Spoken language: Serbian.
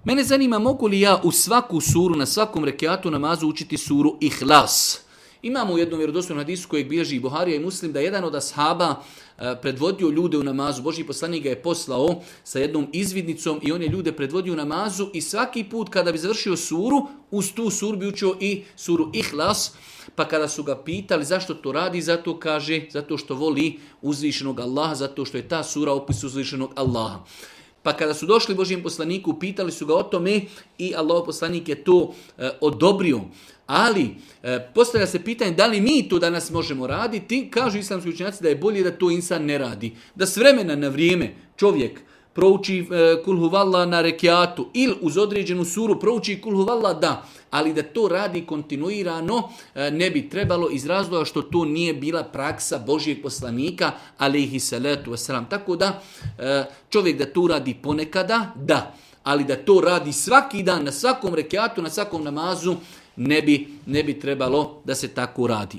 Mene zanima mogu li ja u svaku suru, na svakom rekiatu namazu učiti suru Ihlas. Imamo u jednom vjerodostojnom hadisu kojeg bilježi Buharija i Muslim da jedan od ashaba predvodio ljude u namazu. Božji poslanik ga je poslao sa jednom izvidnicom i on je ljude predvodio u namazu i svaki put kada bi završio suru, uz tu suru bi učio i suru Ihlas. Pa kada su ga pitali zašto to radi, zato kaže, zato što voli uzvišenog Allaha, zato što je ta sura opis uzvišenog Allaha. Pa kada su došli Božjem poslaniku, pitali su ga o tome i Allahov poslanik je to odobrio. Ali postavlja se pitanje da li mi to danas možemo raditi. Kažu islamski učenjaci da je bolje da to insan ne radi. Da s vremena na vrijeme čovjek prouči kul huvallah na rekiatu ili uz određenu suru prouči kul huvallah, da. Ali da to radi kontinuirano ne bi trebalo iz razloga što to nije bila praksa Božjeg poslanika, alejhi salatu vesselam. Tako da čovjek da to radi ponekada, da. Ali da to radi svaki dan, na svakom rekiatu, na svakom namazu, ne bi trebalo da se tako radi.